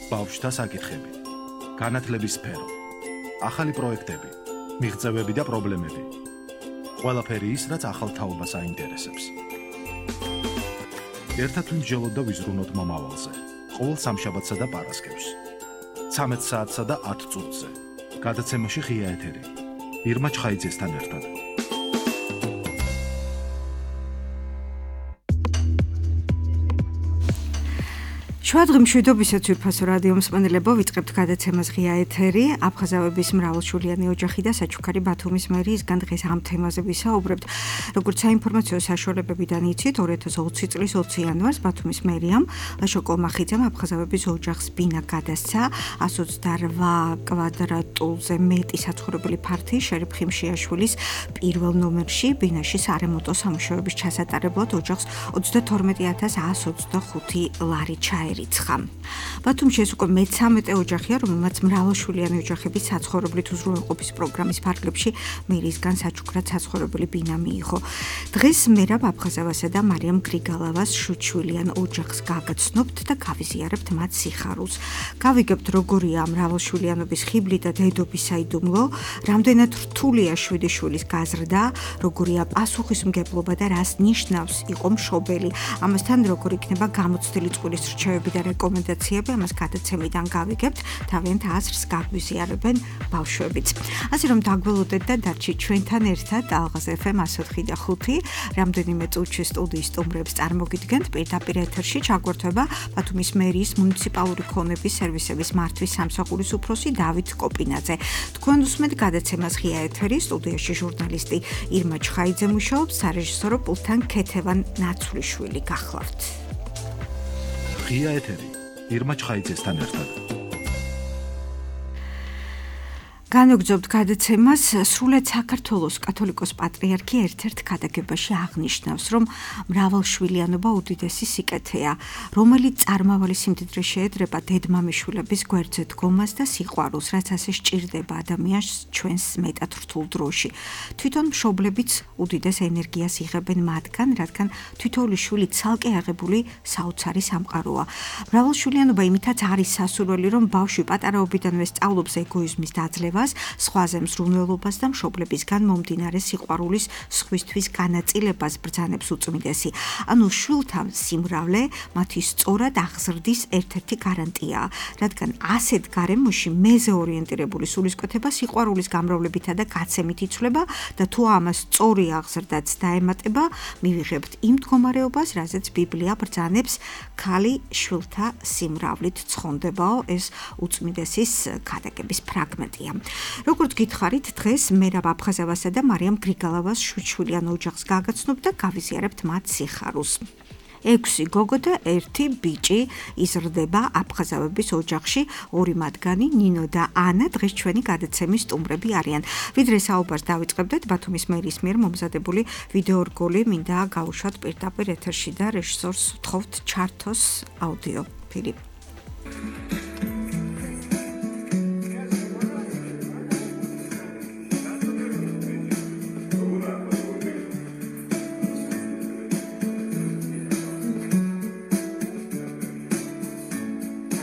ბავშვთა საკითხები, განათლების სფერო, ახალი პროექტები, მიღწევები და პრობლემები. ყველაფერი ის, რაც ახალ თაობას აინტერესებს. ერთად ვიმსჯელოთ და ვიზრუნოთ მომავალზე. ყოველ სამშაბათსა და პარასკევს. 13 საათსა და 10 წუთზე. გადაცემაში ღია ეთერი. ირმა ჩხაიძესთან ერთად. შუადღე მშვიდობისაც ვირფასო რადიო მსმენელებო, ვიწყებთ გადაცემას ღია ეთერი. აფხაზავების მრავალშვილიანი ოჯახი და საჩუქარი ბათუმის მერიისგან დღეს ამ თემაზე ვისაუბრებთ. როგორც საინფორმაციო საშუალებებიდან იცით, 2020 წლის 20 იანვარს ბათუმის მერიამ ლაშო კომახიძემ აფხაზავების ოჯახს ბინა გადასცა 128 კვადრატულზე მეტი საცხოვრებელი ფართი შერიფ ხიმშიაშვილის პირველ ნომერში ბინაში სარემონტო სამუშაოების ჩასატარებლად ოჯახს 22125 ლარი ჩაერიცხა. ბათუმში ეს უკვე მე-13 ოჯახია, რომელმაც მრავალშვილიანი ოჯახების საცხოვრებლით უზრუნველყოფის პროგრამის ფარგლებში მერიისგან საჩუქრად საცხოვრებელი ბინა მიიღო. დღეს მერაბ აფხაზავასა და მარიამ გრიგალავას შვიდშვილიან ოჯახს გაგაცნობთ და გავიზიარებთ მათ სიხარულს. გავიგებთ, როგორია მრავალშვილიანობის ხიბლი და დედობის საიდუმლო, რამდენად რთულია 7 შვილის გაზრდა, როგორია პასუხისმგებლობა და რას ნიშნავს იყო მშობელი. ამასთან როგორ იქნება გამოცდილი წყვილის რჩევები და რეკომენდაციები, ამას გადაცემიდან გავიგებთ, თავიანთ აზრს გაგვიზიარებენ ბავშვებიც. ასე რომ დაგველოდეთ და დარჩით ჩვენთან ერთად ალღაზ FM 104 და 5 რამდენიმე წუთში სტუდიის სტუმრებს წარმოგიდგენთ. პირდაპირ ეთერში ჩაგვერთვება ბათუმის მერიის მუნიციპალური ქონების სერვისების მართვის სამსახურის უფროსი დავით კოპინაძე. თქვენ უსმენთ გადაცემას ღია ეთერი, სტუდიაში ჟურნალისტი ირმა ჩხაიძე მუშაობს, სარეჟისორო პულტთან ქეთევან ნაცვლიშვილი. გახლავთ. ღია ეთერი ირმა ჩხაიძესთან ერთად. განვგრძობთ გადაცემას. სრულად საქართველოს კათოლიკოს პატრიარქი ერთ-ერთ ქადაგებაში აღნიშნავს, რომ მრავალშვილიანობა უდიდესი სიკეთეა, რომელიც წარმავალი სიმდიდრე შეედრება დედმამიშვილების გვერდზე დგომას და სიყვარულს, რაც ასე სჭირდება ადამიანს ჩვენს მეტად რთულ დროში. თვითონ მშობლებიც უდიდეს ენერგიას იღებენ მათგან, რადგან თითოეული შვილი ცალკე აღებული საოცარი სამყაროა. მრავალშვილიანობა იმითაც არის სასურველი, რომ ბავშვი პატარაობიდანვე სწავლობს ეგოიზმის დაძლევას, სხვაზე მზრუნველობას და მშობლებისგან მომდინარე სიყვარულის სხვისთვის განაწილებას ბრძანებს უწმიდესი. ანუ შვილთა სიმრავლე მათი სწორად აღზრდის ერთ-ერთი გარანტიაა, რადგან ასეთ გარემოში მეზე ორიენტირებული სულისკვეთება სიყვარულის გამრავლებითა და გაცემით იცვლება და თუ ამას სწორი აღზრდაც დაემატება, მივიღებთ იმ მდგომარეობას, რაზეც ბიბლია ბრძანებს ქალი შვილთა სიმრავლით ცხონდებაო. ეს უწმიდესის ქადაგების ფრაგმენტია. როგორც გითხარით, დღეს მერაბ აფხაზავასა და მარიამ გრიგალავას შვიდშვილიან ოჯახს გაგაცნობთ და გავიზიარებთ მათ სიხარულს. 6 გოგო და 1 ბიჭი იზრდება აფხაზავების ოჯახში, 2 მათგანი ნინო და ანა დღეს ჩვენი გადაცემის სტუმრები არიან. ვიდრე საუბარს დავიწყებდეთ, ბათუმის მერიის მიერ მომზადებული ვიდეო რგოლი მინდა გავუშვათ პირდაპირ ეთერში და რეჟისორს ვთხოვთ ჩართოს აუდიო ფილი.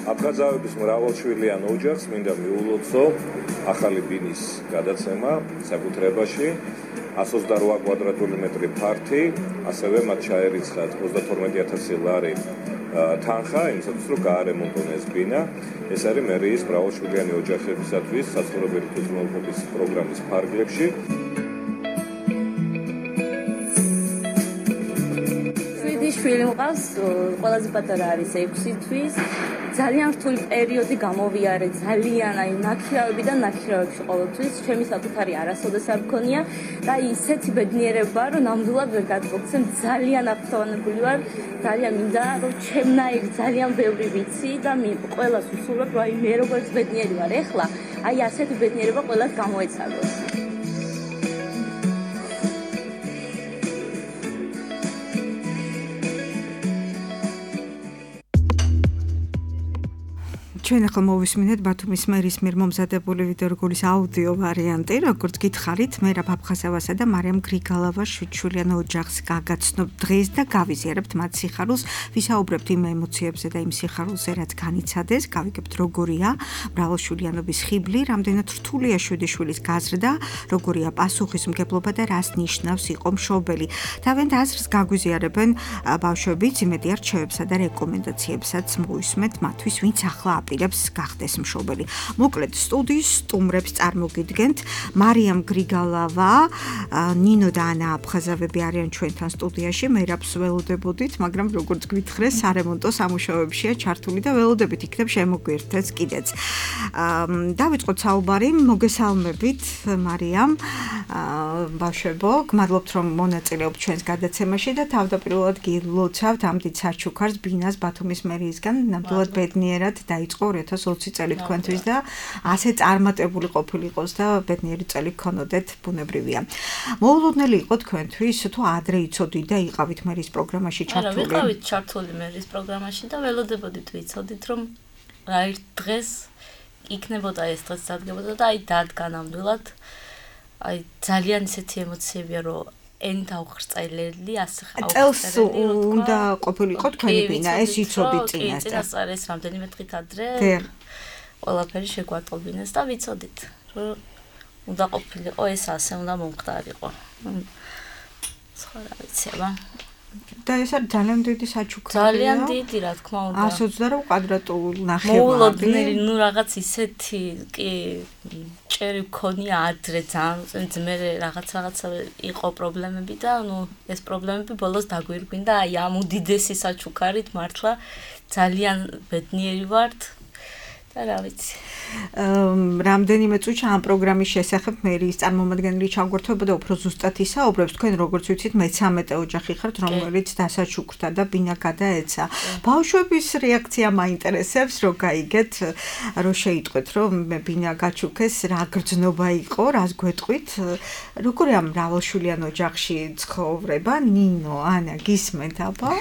აფხაზავების მრავალშვილიან ოჯახს მინდა მიულოცო ახალი ბინის გადაცემა საკუთრებაში 128 კვადრატული მეტრი ფართი, ასევე მათ ჩაერიცხათ 32000 ლარი თანხა, იმისათვის რომ გაარემონტონ ეს ბინა. ეს არის მერიის მრავალშვილიანი ოჯახებისათვის საცხოვრებელი უზრუნველყოფის პროგრამის ფარგლებში. შვილი მყავს, ყველაზე პატარა არის 6 თვის. ძალიან რთული პერიოდი გამოვიარე, ძალიან ნაქირავებიდან ნაქირავებში ყოველთვის. ჩემი საკუთარი არასოდეს არ მქონია და ისეთი ბედნიერება, რომ ნამდვილად ვერ გადმოგცემ. ძალიან აფრთხილებული ვარ, ძალიან მინდა, რომ ჩემნაირი ძალიან ბევრი ვიცი და ყველას ვუსურვებ, რომ მე როგორც ბედნიერი ვარ ეხლა, ასეთი ბედნიერება ყველას გამოეცადოს. ჩვენ ახლა მოვისმინეთ ბათუმის მერის მიერ მომზადებული ვიდეორგოლის აუდიო ვარიანტი, როგორც გითხარით, მე რა ფაფხაზავასა და მარიამ გრიგალავას შვიდშვილიან ოჯახს გაგაცნობ დღეს და გავიზიარებთ მათ სიხარულს, ვისაუბრებთ იმ ემოციებზე და იმ სიხარულზე, რაც განიცადეს, გავიგებთ როგორია მრავალშვილიანობის ხიბლი, რამდენად რთულია 7 შვილის გაზრდა, როგორია პასუხისმგებლობა და რას ნიშნავს იყო მშობელი. თავიანთ აზრს გაგვიზიარებენ ბავშვებიც, იმედი არჩევებსა და რეკომენდაციებსაც მოვისმენთ მათთვის, ვინც ახლა აპირებს გახდეს მშობელი. მოკლედ სტუდიის სტუმრებს წარმოგიდგენთ მარიამ გრიგალავა, ნინო და ანა აფხაზავები არიან ჩვენთან სტუდიაში. მერაბს ველოდებოდით, მაგრამ როგორც გვითხრეს, სარემონტო სამუშაოებშია ჩართული და ველოდებით იქნებ შემოგვიერთდეს კიდეც. დავიწყოთ საუბარი, მოგესალმებით მარიამ. ბავშვებო, გმადლობთ რომ მონაწილეობთ ჩვენს გადაცემაში და თავდაპირველად გილოცავთ ამ დიდ საჩუქარს ბინას ბათუმის მერიისგან. ნამდვილად ბედნიერად დაიწყო 2020 წელი თქვენთვის და ასე წარმატებული ყოფილიყოს და ბედნიერი წელი გქონოდეთ, ბუნებრივია. მოულოდნელი იყო თქვენთვის თუ ადრე იცოდით და იყავით მერის პროგრამაში ჩართული? არა, ვიყავით ჩართული მერის პროგრამაში და ველოდებოდით ვიცოდით რომ რა ერთ დღეს იქნებოდა ეს დღეს დადგებოდა და აი დადგა ნამდვილად. აი ძალიან ისეთი ემოციებია რომ ენით აუხრწაილელი, ასე წელს უნდა ყოფილიყო თქვენი ბინა, ეს იცოდით წინასწარ. წინასწარ ეს რამდენიმე დღით ადრე ყველაფერი შეგვატყობინეს და ვიცოდით რომ უნდა ყოფილიყო ეს ასე უნდა მომხდარიყო. სხვა რა ვიცი, აბა. და ეს არის ძალიან დიდი საჩუქრია. ძალიან დიდი, რა თქმა უნდა. 128 კვადრატულ ნახევარი. მოულოდნელი, ნუ რაღაც ისეთი კი ჭერი მქონია ადრე ძალიან ძმერე რაღაცა იყო პრობლემები და ნუ ეს პრობლემები ბოლოს დაგვირგვინდა აი ამ უდიდესი საჩუქარით მართლა ძალიან ბედნიერი ვართ და რა ვიცი. რამდენიმე წუთში ამ პროგრამის შესახებ მერის წარმომადგენელი ჩაგვერთვება და უფრო ზუსტად ისაუბრებს. თქვენ როგორც ვიცით, მე-13 ოჯახი ხართ, რომელიც დასაჩუქრდა და ბინა გადაეცა. ბავშვების რეაქცია მაინტერესებს, რომ გაიგეთ, რომ შეიტყვეთ, რომ ბინა გაჩუქეს, რა გრძნობა იყო, რას გვეტყვით. როგორია მრავალშვილიან ოჯახში ცხოვრება? ნინო, ანა, გისმენთ აბა?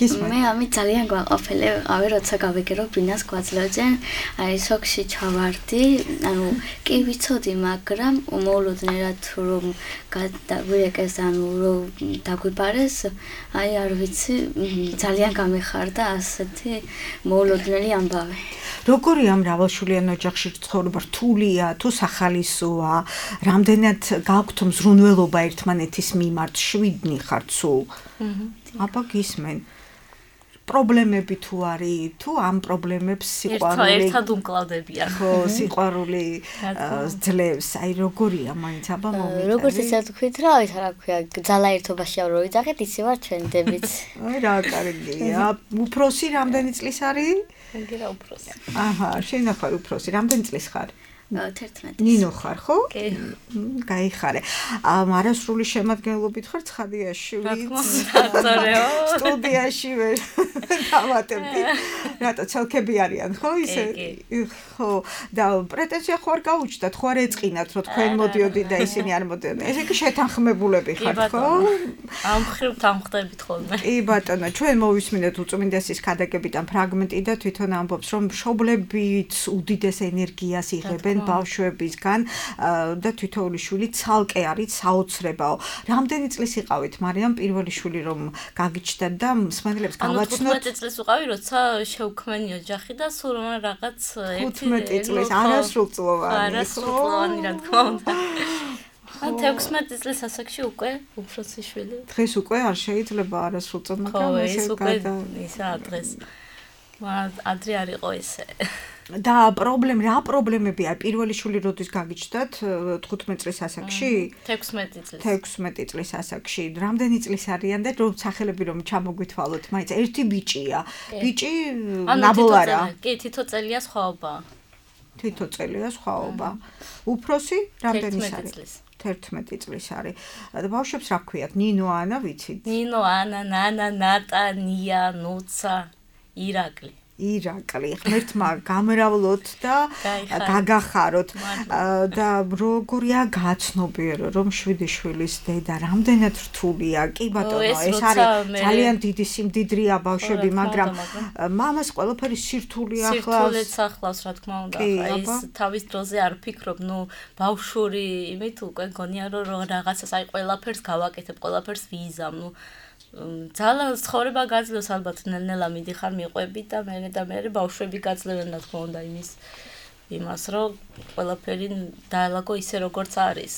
მე ამით ძალიან გვაყოფილი ვიყავი, როცა გავიგე რომ ბინას გვაძლევდნენ, აი სოქში ჩავარდი, ანუ კი ვიცოდი, მაგრამ მოულოდნელად რომ გადაგვიეკეს, ანუ რომ დაგვიბარეს, აი არ ვიცი, ძალიან გამეხარდა ასეთი მოულოდნელი ამბავი. როგორია მრავალშვილიან ოჯახში ცხოვრება? რთულია თუ სახალისოა? რამდენად გაქვთ მზრუნველობა ერთმანეთის მიმართ? 7 ხართ სულ. აბა გისმენ. პრობლემები თუ არის, თუ ამ პრობლემებს სიყვარული ერთად უმკლავდებიან. ხო, სიყვარული ძლევს. აი როგორია მაინც აბა მომიტანე. როგორც ისე თქვით რა, ის რა ქვია, ძალაერთობაში რო ვიძახეთ, ისე ვარ ჩვენდებით. აი რა კარგია. უფროსი რამდენი წლის არის? მეგერა უფროსი. აჰა, შენ ახარ უფროსი. რამდენი წლის ხარ? 11. ნინო ხარ, ხო? კი. გაიხარე. არასრული შემადგენლობით ხარ ცხადიაში, სტუდიაში ვერ დავატებდი. რატო ცალკები არიან, ხო ისე? ხო, და პრეტენზია ხო არ გაუჩნდათ, ხო არ ეწყინათ, რომ თქვენ მოდიოდით და ისინი არ მოდიოდნენ. ესე იგი შეთანხმებულები ხართ, ხო? ამ ხრივ დამხდებით ხოლმე. კი ბატონო, ჩვენ მოვისმინეთ უწმინდესის ქადაგებიდან ფრაგმენტი და თვითონ ამბობს, რომ მშობლებიც უდიდეს ენერგიას იღებენ ბავშვებისგან და თითოეული შვილი ცალკე არის საოცრებაო. რამდენი წლის იყავით მარიამ პირველი შვილი რომ გაგიჩნდათ და მსმენელებს გავაცნოთ? 15 წლის ვიყავი, როცა შევქმენი ოჯახი და სულ რაღაც 15 წლის არასრულწლოვანი. არასრულწლოვანი რა თქმა უნდა. 16 წლის ასაკში უკვე უფროსი შვილი. დღეს უკვე არ შეიძლება არასრულწლოვანი, მაგრამ ეს უკვე ისა დღეს. ადრე არ იყო ესე. და რა პრობლემებია? პირველი შვილი როდის გაგიჩნდათ? 15 წლის ასაკში? 16 წლის. 16 წლის ასაკში. რამდენი წლის არიან და რომ სახელები რომ ჩამოგვითვალოთ, მაინც ერთი ბიჭია. ბიჭი ნაბოლარა. კი, თითო წელია სხვაობა. თითო წელია სხვაობა. უფროსი რამდენი არის? 11 წლის არის. და ბავშვებს რა ქვიათ? ნინო, ანა ვიცით? ნინო, ანა, ნანა, ნატა, ნია, ნუცა, ირაკლი. ირაკლი, ღმერთმა გამრავლოთ და გაგახაროთ და როგორია გაცნობიერო რომ 7 შვილის დედა რამდენად რთულია. კი ბატონო, ეს არის ძალიან დიდი სიმდიდრეა ბავშვები, მაგრამ მამას ყველაფერი სირთული ახლავს. სირთულეც ახლავს, რა თქმა უნდა. ეს თავის დროზე არ ფიქრობ, ბავშვური იმით უკვე გონია რომ რაღაცას აი ყველაფერს გავაკეთებ, ყველაფერს ვიზამ, ძალიან ცხოვრება გაძლევს ალბათ ნელ-ნელა მიდიხარ მიყვები და მე ბავშვები გაძლევენ რა თქმა უნდა იმას რომ ყველაფერი დაალაგო ისე როგორც არის.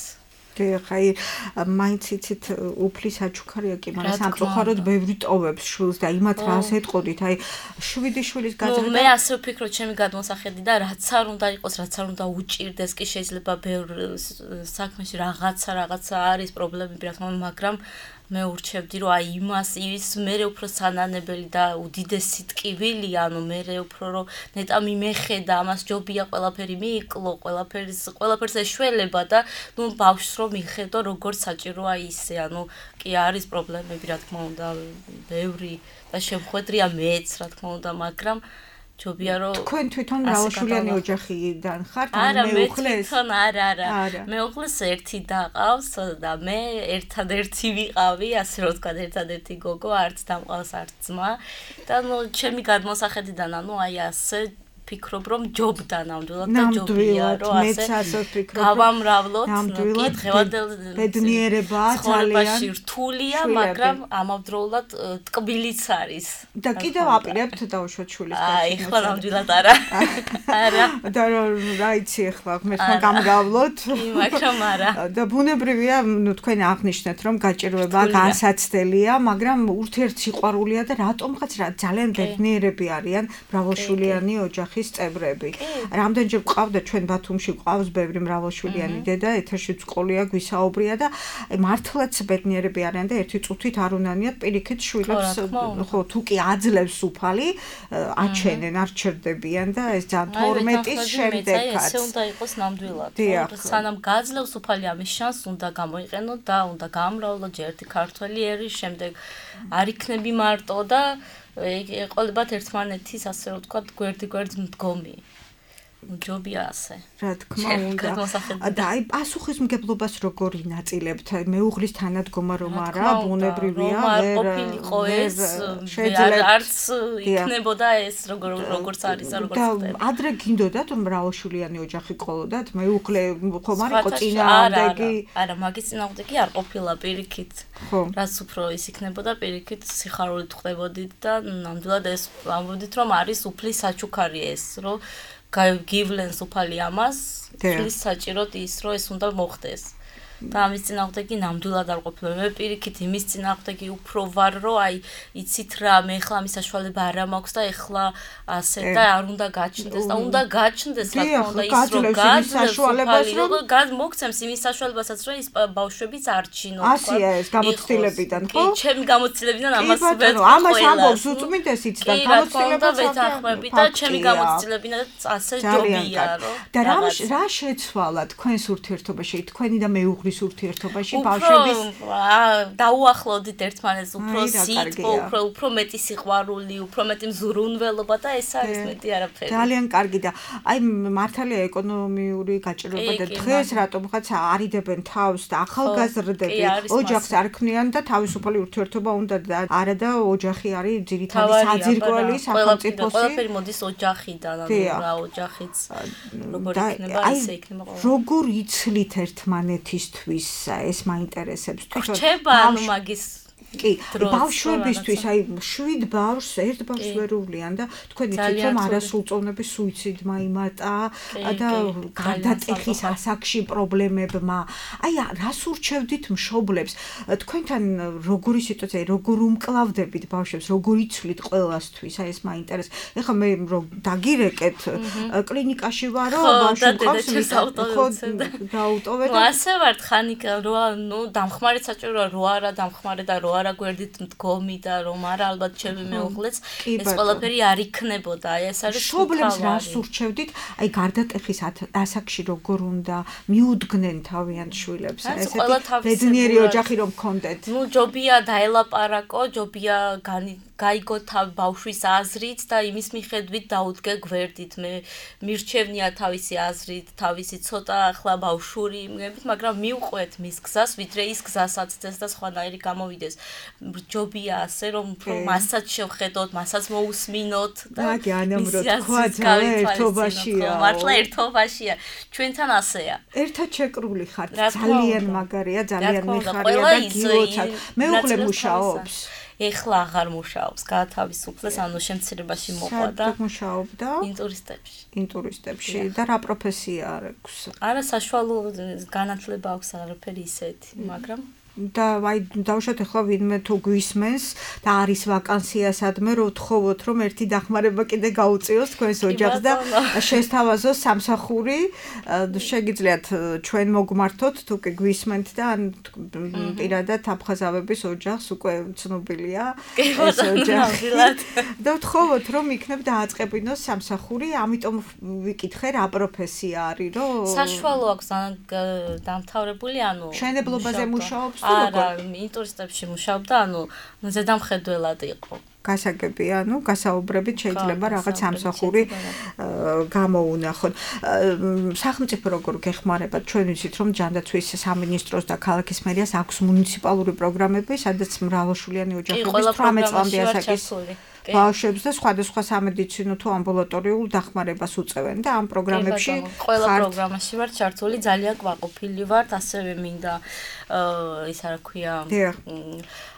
ხაი მაინც იცით უფლის აჩუქარია კი, მაგრამ სამწუხაროდ ბევრი ტოვებს შვილს და იმათ რას ეტყოდით, აი 7 შვილის გაძლევა. მე ასე ვფიქრობ, ჩემი გადმოსახედი და რაც არ უნდა იყოს, რაც არ უნდა უჭირდეს, კი შეიძლება ბევრ საქმეში რაღაცა არის პრობლემები, რა თქმა უნდა, მაგრამ მე ურჩევდი რომ აი ის მერე უფრო სანანებელი და უდიდესი ტკივილი, მერე უფრო რომ ნეტა მიმეხედა, ამას ჯობია ყველაფერი მიიკლო, ყველაფერს ეშველება და ბავშვს რომ მიხედო როგორც საჭიროა ისე, კი არის პრობლემები, რა თქმა უნდა, ბევრი და შემხვედრია მეც, რა თქმა უნდა, მაგრამ ჯობია რომ თქვენ თვითონ მრავალშვილიანი ოჯახიდან ხართ, მეუღლეს? არა. მეუღლეს ერთი დაყავს და მე ერთადერთი ვიყავი, ასე რომ ვთქვა, ერთადერთი გოგო, არც დამყავს, არც ძმა და ჩემი გადმოსახედიდან, აი ასე ვფიქრობ რომ ჯობდა ნამდვილად და ჯობია რომ ასე გავამრავლოთ, დღევანდელ ბედნიერებაა ძალიან რთულია, მაგრამ ამავდროულად ტკბილიც არის. და კიდევ აპირებთ დაუშვათ შვილის აი, ხო ნამდვილად არა. და რა იცი ახლა ღმერთმა გამრავლოთ. მაგრამ არა. და ბუნებრივია, თქვენ აღნიშნეთ რომ გაჭირვება განსაცდელია, მაგრამ ურთიერთსიყვარულია და რატომღაც ძალიან ბედნიერები არიან მრავალშვილიანი ოჯახის წევრები. რამდენჯერ გვყავდა ჩვენ ბათუმში გვყავს ბევრი მრავალშვილიანი დედა, ეთერშიც ყოლია გვისაუბრია და მართლაც ბედნიერები არიან და ერთი წუთით არ უნანიათ პირიქით შვილებს, ხო, თუ კი აძლევს უფალი, აჩენენ, არ ჩერდებიან და ეს ძალიან 12-ის შემდეგაც. ესე უნდა იყოს ნამდვილად. სანამ გაძლევს უფალი, ამის შანსს უნდა გამოიყენო და უნდა გამრავლო ჯერ ერთი ქართველი ერის, შემდეგ არ იქნები მარტო და ეყოლებათ ერთმანეთის, ასე რომ ვთქვათ, გვერდ-გვერდ მდგომი. ჯობია ასე. რა თქმა უნდა. და აი პასუხისმგებლობას როგორ ინაწილებთ? მეუღლის თანადგომა რომ არა, ბუნებრივია, ვერ ყოფილიყო ეს, არც იქნებოდა ეს როგორც არის, როგორც ხდება. და ადრე გინდოდათ რომ მრავალშვილიანი ოჯახი ყოლოდათ? მეუღლე ხომ არ იყო წინააღმდეგი? არა, მაგის წინააღმდეგი არ ყოფილა პირიქით. რაც უფრო ის იქნებოდა პირიქით სიხარულით ხდებოდით და ნამდვილად ეს ამბობდით რომ არის უფლის საჩუქარი ეს, რომ გივლენს უფალი ამას, ფლის საჭიროდ ის, რომ ეს უნდა მოხდეს. და ამის წინააღმდეგი ნამდვილად არ ყოფილა. მე პირიქით იმის წინააღმდეგი უფრო ვარ, რომ აი იცით რა, მე ახლა ამის საშუალება არ მაქვს და ახლა ასე და არ უნდა გაჩნდეს და უნდა გაჩნდეს, რა თქმა უნდა, ის რომ საშუალებას რომ მოგცემს იმის საშუალებასაც, რომ ის ბავშვებიც არჩინო, თქვა. ასია ეს გამოცდილებიდან, ხო? კი, ჩემი გამოცდილებიდან ამას ვეთქვი. ამას ამბობს უწმინდესიც და გამოცდილებაც ვეთანხმები და ჩემი გამოცდილებიდან ასე ჯობია, რომ და რა შეცვალა თქვენს ურთიერთობაში, თქვენი და მეუღლის ურთიერთობაში ბავშვების დაუახლოვდით ერთმანეთს, უფრო სიტყვა, უფრო მეტი სიყვარული, უფრო მეტი მზრუნველობა და ეს არის მეტი არაფერი. ძალიან კარგი და აი მართალია ეკონომიური გაჭირვება და დღეს რატომღაც არიდებენ თავს და ახალგაზრდები ოჯახს არ ქმნიან და თავისუფალი ურთიერთობა უნდა და არა და ოჯახი არის ძირითადი საძირკველი სახელმწიფოსი. ყველაფერი მოდის ოჯახიდან, რა ოჯახიც როგორ იქნება, ისე იქნება. როგორ იცლით ერთმანეთისთვის ეს მაინტერესებს თვითონ. რჩება მაგის კი, ბავშვებისთვის, აი 7 ბავშვს, ერთ ბავშვს ვერ უვლიან და თქვენ იცით რომ არასრულწლოვნების სუიციდმა იმატა და გარდატეხის ასაკში პრობლემებმა. აი რას ურჩევდით მშობლებს? თქვენთან როგორი სიტუაცია, როგორ უმკლავდებით ბავშვებს, როგორ იცვლით ყველასთვის? აი ეს მაინტერესებს. ეხლა მე რომ დაგირეკეთ კლინიკაში ვარო, ბავშვი მყავს, ხო, დაუტოვეთ. ასე ვარ ხანიკა, რა, დამხმარე საჭიროა, რა არა დამხმარე და რა არა გვერდით მდგომი და რომ არა ალბათ ჩემი მეუღლეც ეს ყველაფერი არ იქნებოდა. აი ეს არის შობლებს რას ურჩევდით? აი გარდატეხის ასაკში როგორ უნდა მიუდგნენ თავიანთ შვილებს? ესეთი ბედნიერი ოჯახი რომ გქონდეთ. ნუ ჯობია დაელაპარაკო, ჯობია გაიგო ბავშვის აზრით და იმის მიხედვით დაუდგე გვერდით. მე მირჩევნია თავისი აზრით, თავისი ცოტა ახლა ბავშვური იმებით, მაგრამ მიუყვეთ მის გზას, ვიდრე ის გზასაც წეს და სხვანაირი გამოვიდეს. ჯობია ასე რომ მასაც შევხედოთ, მასაც მოусმინოთ და აგი ანამრო თქვა ერთობაშია. მართლა ერთობაშია. ჩვენთან ასეა. ერთად შეკრული ხართ. ძალიან მაგარია, ძალიან მიხარია და გილოცავ. მეუღლე მუშაობს. ეხლა აღარ მუშაობს, გაათავისუფლეს, ანუ შემცირებაში მოყვა და მუშაობდა ინტურისტებში და რა პროფესია აქვს? არა, საშუალო განათლება აქვს, არაფერი ისეთი, მაგრამ და აი დავუშვათ ახლა ვინმე თუ გვისმენს და არის ვაკანსია სადმე რომ თხოვოთ რომ ერთი დახმარება კიდე გაუწიოს თქვენს ოჯახს და შესთავაზოს სამსახური შეგიძლიათ ჩვენ მოგმართოთ თუ კი გვისმენთ და ან პირადად აფხაზავების ოჯახს უკვე ცნობილია ეს ოჯახი და თხოვოთ რომ იქნებ დააწყებინოს სამსახური ამიტომ ვიკითხე რა პროფესია არის რომ საშუალო აქვს დამთავრებული ანუ მშენებლობაზე მუშაობს არა, ინტურისტებში მუშაობდა, ანუ ზედამხედველად იყო. გასაგები, ანუ გასაუბრებით შეიძლება რაღაც სამსახური გამოუნახოთ. სახელმწიფო როგორ გეხმარება? ჩვენ ვიცით, რომ ჯანდაცვის სამინისტროს და ქალაქის მერიას აქვს მუნიციპალური პროგრამები, სადაც მრავალშვილიანი ოჯახების 18 წლამდე ასაკის ბავშვებს და სხვადასხვა სამედიცინო თუ ამბულატორიულ დახმარებას უწევენ და ამ პროგრამებში ყველა პროგრამაში ვარ ჩართული, ძალიან კვაყოფილი ვარ, ასევე მინდა ისა რა ქვია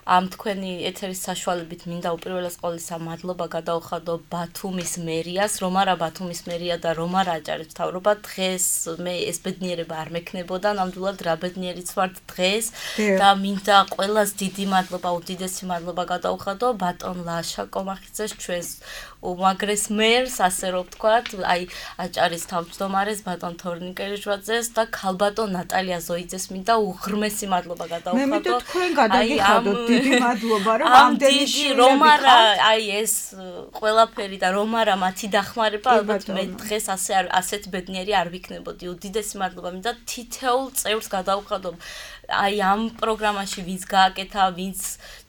ამ თქვენი ეთერის საშუალებით მინდა უპირველეს ყოვლისა მადლობა გადაუხადო ბათუმის მერიას, რომ არა ბათუმის მერია და რომ არა აჭარის მთავრობა დღეს მე ეს ბედნიერება არ მექნებოდა, ნამდვილად რა ბედნიერიც ვარ დღეს და მინდა ყველას დიდი მადლობა, უდიდესი მადლობა გადაუხადო ბატონ ლაშა კომახიძეს ჩვენს უმაგრეს მერს, ასე რომ ვთქვათ, აი აჭარის თავმჯდომარეს ბატონ თორნიკელიშვაძეს და ქალბატონ ნატალია ზოიძეს მინდა უღრმესი მადლობა გადაუხადო. მე მინდა თქვენ გადაგიხადოთ დიდი მადლობა რომ ამდენი რომ არა აი ეს ყველაფერი და რომ არა მათი დახმარება ალბათ მე დღეს ასეთ ბედნიერი არ ვიქნებოდი. უდიდესი მადლობა მინდა თითოეულ წევრს გადაუხადო. აი ამ პროგრამაში ვინც გააკეთა, ვინც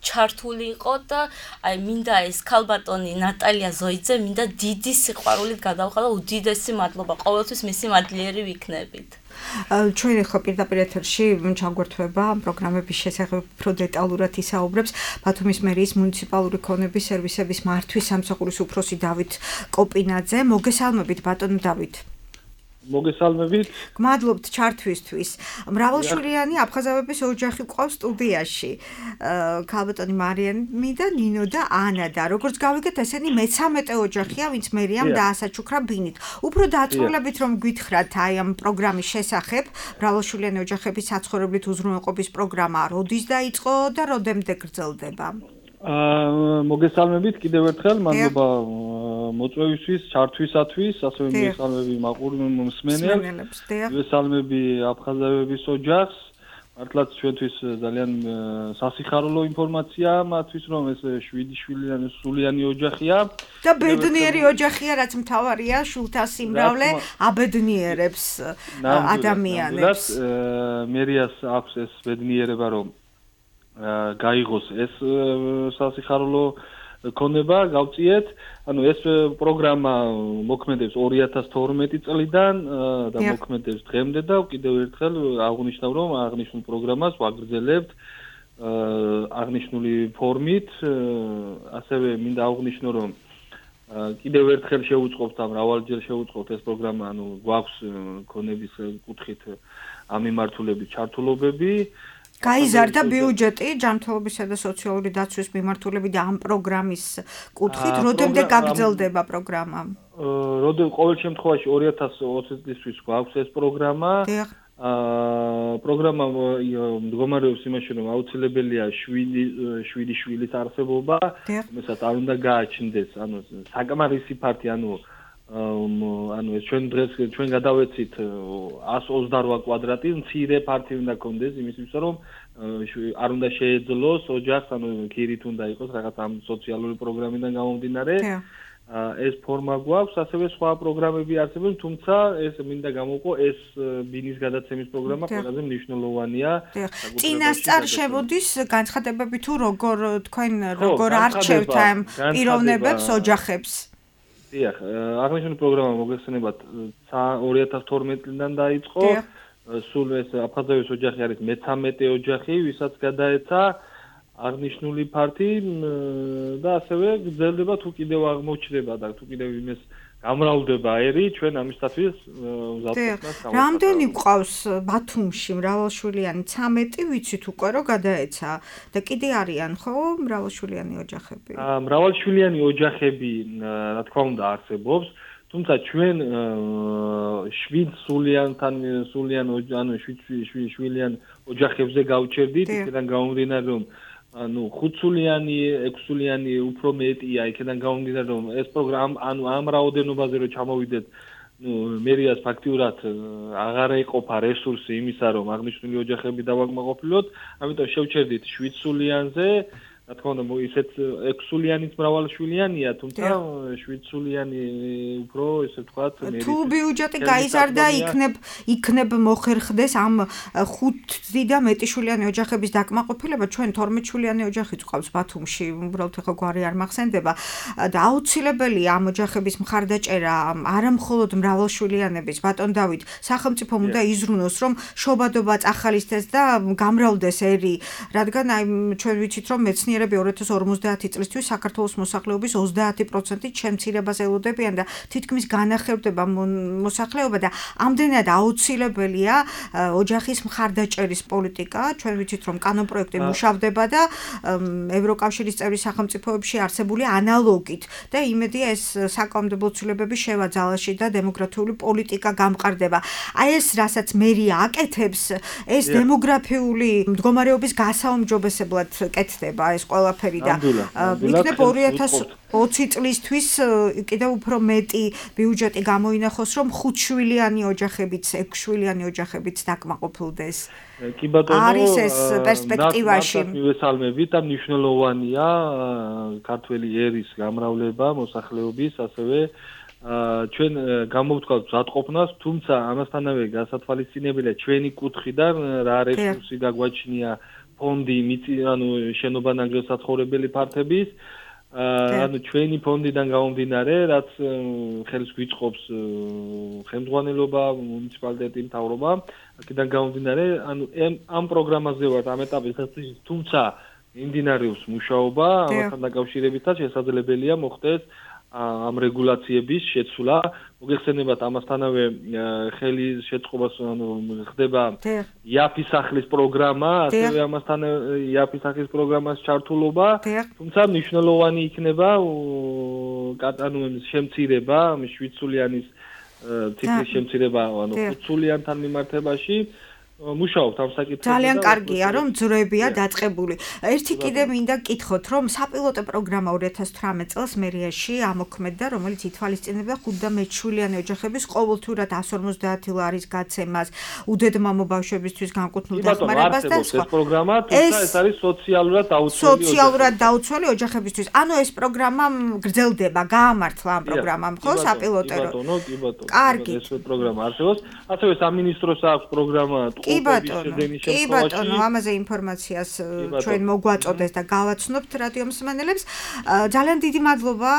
ჩართული იყო და აი მინდა ეს ქალბატონი ნატალია ზოიძე მინდა დიდი სიყვარულით გადავხადო, უდიდესი მადლობა. ყოველთვის მისი მადლიერი ვიქნებით. ჩვენ ახლა პირდაპირ ეთერში ჩაგვერთვება პროგრამების შესახებ უფრო დეტალურად ისაუბრებს ბათუმის მერიის მუნიციპალური ქონების სერვისების მართვის სამსახურის უფროსი დავით კოპინაძე. მოგესალმებით ბატონ დავით. მოგესალმებით. გმადლობთ ჩართვისთვის. მრავალშვილიანი აფხაზავების ოჯახი ყავს სტუდიაში. ქალბატონი მარიამი და ნინო და ანა და როგორც გავიგეთ, ესენი მე-13 ოჯახია, ვინც მერიამ დაასაჩუქრა ბინით. უფრო დაწვრილებით რომ გითხრათ აი ამ პროგრამის შესახებ, მრავალშვილიანი ოჯახების საცხოვრებლით უზრუნველყოფის პროგრამა როდის დაიწყო და როდემდე გრძელდება? მოგესალმებით კიდევ ერთხელ, მადლობა მოწვევისთვის, ჩართვისათვის, ასევე მოგესალმები მსმენელს, მოგესალმები აფხაზავების ოჯახს. მართლაც ჩვენთვის ძალიან სასიხარულო ინფორმაცია მათთვის, რომ ეს 7 სულიანი ოჯახია. და ბედნიერი ოჯახია, რაც მთავარია, შულთა სიმრავლე აბედნიერებს ადამიანებს. მერიას აქვს ეს ბედნიერება, რომ გაიღოს ეს სასიხარულო ქონება, გავწიეთ. ანუ ეს პროგრამა მოქმედებს 2012 წლიდან და მოქმედებს დღემდე და კიდევ ერთხელ აღნიშნავ, რომ აღნიშნულ პროგრამას ვაგრძელებთ აღნიშნული ფორმით. ასევე მინდა აღნიშნო, რომ კიდევ ერთხელ შევუწყობთ, მრავალჯერ შევუწყობთ ეს პროგრამა, ანუ გვაქვს ქონების კუთხით ამ მიმართულებით ჩართულობები. გაიზარდა ბიუჯეტი ჯანმრთელობისა და სოციალური დაცვის მიმართულებით და ამ პროგრამის კუთხით როდემდე გაგრძელდება პროგრამა? ყოველ შემთხვევაში 2020 წლისთვის გვაქვს ეს პროგრამა. პროგრამა მდგომარეობს იმაში, რომ აუცილებელია 7 შვილის არსებობა, რომელსაც არ უნდა გააჩნდეს, ანუ საკმარისი ფართი, ანუ ანუ ეს ჩვენ გადავეცით 128 კვადრატი, მცირე ფართი უნდა კონდეს იმისთვის, რომ არ უნდა შეეძლოს ოჯახს, ანუ ქირით უნდა იყოს რაღაც ამ სოციალური პროგრამიდან გამომდინარე. ეს ფორმა გვაქვს, ასევე სხვა პროგრამები არსებობს, თუმცა ეს მინდა გამოვყო, ეს ბინის გადაცემის პროგრამა ყველაზე მნიშვნელოვანია. წინასწარ შემოდის განცხადებები თუ როგორ არჩევთ ამ პიროვნებებს, ოჯახებს. დიახ, აღნიშნული პროგრამა მოგეხსენებათ 2012 წლიდან დაიწყო. სულ ეს აფხაზების ოჯახი არის მე-13 ოჯახი, ვისაც გადაეცა აღნიშნული ფართი და ასევე გრძელდება თუ კიდევ აღმოჩნდება და თუ კიდევ იმეს გამრავლდება ერი, ჩვენ ამისათვის მზადყოფნას გავაკეთებთ. რამდენი გვყავს ბათუმში მრავალშვილიანი 13 ვიცით უკვე რომ გადაეცა და კიდე არიან ხო მრავალშვილიანი ოჯახები? მრავალშვილიანი ოჯახები რა თქმა უნდა არსებობს, თუმცა ჩვენ 7 სულიან ოჯახებზე გავჩერდით, იქიდან გამომდინარე რომ 5 სულიანი, 6 სულიანი უფრო მეტია, იქიდან გამომდინარე რომ ეს პროგრამა ამ რაოდენობაზე რომ ჩამოვიდეთ, მერიას ფაქტიურად აღარ ეყოფა რესურსი იმისა, რომ აღნიშნული ოჯახები დავაკმაყოფილოთ, ამიტომ შევჩერდით 7 სულიანზე. რა თქმა უნდა, ისეთ 6 სულიანიც მრავალშვილიანია, თუმცა 7 სულიანი უფრო, ესე ვთქვათ, თუ ბიუჯეტი გაიზარდა, იქნებ მოხერხდეს ამ 5 და მეტი შვილიანი ოჯახების დაკმაყოფილება, ჩვენ 12 შვილიანი ოჯახიც ყავს ბათუმში, უბრალოდ ხო გვარი არ მახსენდება და აუცილებელია ამ ოჯახების მხარდაჭერა, არა მხოლოდ მრავალშვილიანების, ბატონ დავით, სახელმწიფომ უნდა იზრუნოს, რომ შობადობა წახალისდეს და გამრავლდეს ერი, რადგან აი ჩვენ ვიცით, რომ მეცნიერები 2050 წლისთვის საქართველოს მოსახლეობის 30%-ით შემცირებას ელოდებიან და თითქმის განახევდება მოსახლეობა და ამდენად აუცილებელია ოჯახის მხარდაჭერის პოლიტიკა. ჩვენ ვიცით, რომ კანონპროექტი მუშავდება და ევროკავშირის წევრი სახელმწიფოებში არსებული ანალოგით და იმედია ეს საკანონმდებლო ცვლილებები შევა ძალაში და დემოგრაფიული პოლიტიკა გამყარდება. აი ეს რასაც მერია აკეთებს, ეს დემოგრაფიული მდგომარეობის გასაუმჯობესებლად კეთდება ეს ყველაფერი და იქნებ 2020 წლისთვის კიდევ უფრო მეტი ბიუჯეტი გამოინახოს, რომ 5 შვილიანი ოჯახებიც, 6 შვილიანი ოჯახებიც დაკმაყოფილდეს. კი ბატონო, არის ეს პერსპექტივაში. მივესალმებით და მნიშვნელოვანია ქართველი ერის გამრავლება მოსახლეობის, ასევე ჩვენ გამოვთქვათ მზადყოფნას, თუმცა ამასთანავე გასათვალისწინებელია ჩვენი კუთხიდან რა რესურსი გაგვაჩნია ფონდი, ანუ შენობა-ნანგრევ საცხოვრებელი ფართების, ანუ ჩვენი ფონდიდან გამომდინარე, რაც ხელს გვიწყობს ხელმძღვანელობა, მუნიციპალიტეტი, მთავრობა, აქედან გამომდინარე, ანუ ამ პროგრამაზე ვართ ამ ეტაპზე, თუმცა მიმდინარეობს მუშაობა, ამასთან დაკავშირებითაც შესაძლებელია მოხდეს ამ რეგულაციების შეცვლა. მოგეხსენებათ ამასთანავე ხელის შეწყობას ხდება იაფის სახლის პროგრამა, ასევე ამასთან იაფის სახლის პროგრამას ჩართულობა, თუმცა მნიშვნელოვანი იქნება შემცირება, 7 სულიანის ციფრის შემცირება, ანუ 5 სულიანთან მიმართებაში. მუშაობთ ამ საკითხებზე. ძალიან კარგია, რომ ძროებია დაწყებული. ერთი კიდე მინდა გკითხოთ, რომ საპილოტო პროგრამა 2018 წელს მერიაში ამოქმედდა, რომელიც ითვალისწინებდა 5 და მეტ შვილიანი ოჯახების ყოველთვიურად 150 ლარის გაცემას, უდედმამო ბავშვებისთვის განკუთვნილ დახმარებას და სხვა. ეს პროგრამა, თუმცა ეს არის სოციალურად დაუცველი ოჯახებისთვის. ანუ ეს პროგრამა გრძელდება, გაამართლა ამ პროგრამამ, ხო, საპილოტო. კი ბატონო, ეს პროგრამა არსებობს. ასევე სამინისტროს აქვს პროგრამა კი ბატონო, ამაზე ინფორმაციას ჩვენ მოგვაწოდეს და გავაცნობთ რადიო მსმენელებს. ძალიან დიდი მადლობა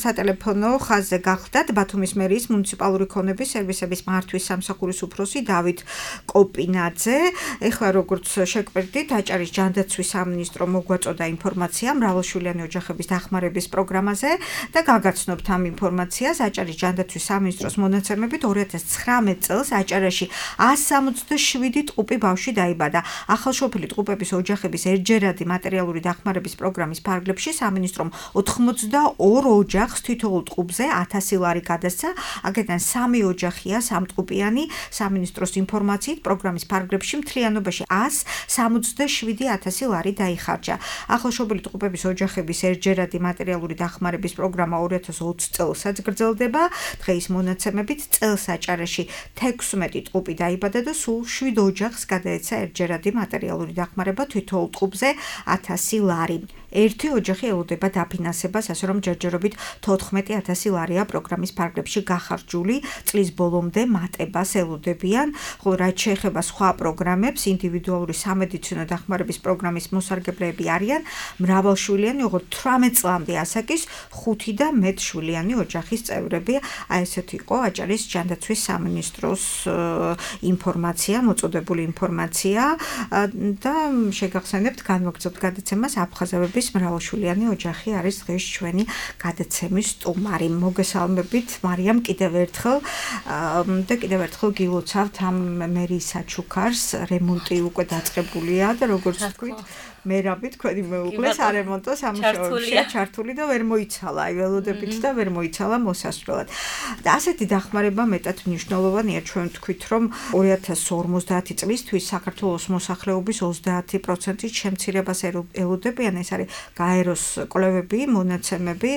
სატელეფონო ხაზზე გახდათ ბათუმის მერიის მუნიციპალური ქონების სერვისების მართვის სამსახურის უფროსი დავით კოპინაძე. ეხლა როგორც შეგვერდით, აჭარის ჯანდაცვის სამინისტრო მოგვაწოდა ინფორმაცია მრავალშვილიანი ოჯახების დახმარების პროგრამაზე და გაგაცნობთ ამ ინფორმაციას. აჭარის ჯანდაცვის სამინისტროს მონაცემებით 2019 წელს აჭარაში 167 7 ტყუპი ბავშვი დაიბადა. ახალშობილი ტყუპების ოჯახების ერთჯერადი მატერიალური დახმარების პროგრამის ფარგლებში სამინისტრომ 82 ოჯახს თითოეულ ტყუპზე 1000 ლარი გადასცა. აქედან 3 ოჯახია სამტყუპიანი. სამინისტროს ინფორმაციით პროგრამის ფარგლებში მთლიანობაში 167,000 ლარი დაიხარჯა. ახალშობილი ტყუპების ოჯახების ერთჯერადი მატერიალური დახმარების პროგრამა 2020 წელსაც გრძელდება. დღეის მონაცემებით წელს აჭარაში 16 ტყუპი დაიბადა და სულ 7 ოჯახს გადაეცა ერთჯერადი მატერიალური დახმარება თითოეულ ტყუპზე 1000 ლარი. ერთი ოჯახი ელოდება დაფინანსებას, ასე რომ ჯერჯერობით 14,000 ლარია პროგრამის ფარგლებში გახარჯული. წლის ბოლომდე მატებას ელოდებიან, ხოლო რაც შეეხება სხვა პროგრამებს, ინდივიდუალური სამედიცინო დახმარების პროგრამის მოსარგებლეები არიან მრავალშვილიანი, ოღონდ 18 წლამდე ასაკის 5 და მეტ შვილიანი ოჯახის წევრები. ესეთი იყო აჭარის ჯანდაცვის სამინისტროს ინფორმაცია, მოწოდებული ინფორმაცია და შეგახსენებთ, განვაგრძობთ გადაცემას აფხაზავების მრავალშვილიანი ოჯახი არის დღეს ჩვენი გადაცემის სტუმარი. მოგესალმებით მარიამ კიდევ ერთხელ და კიდევ ერთხელ გილოცავთ ამ მერის საჩუქარს. რემონტი უკვე დაწყებულია და როგორც თქვით მერაბი თქვენი მეუღლეს არემონტო სამუშაოებშია ჩართული და ვერ მოიცალა, აი ველოდებით და ვერ მოიცალა მოსასვლელად. და ასეთი დახმარება მეტად მნიშვნელოვანია, ჩვენ ვთქვით, რომ 2050 წლისთვის საქართველოს მოსახლეობის 30% შემცირებას ელოდებიან, ეს არის გაეროს კვლევები, მონაცემები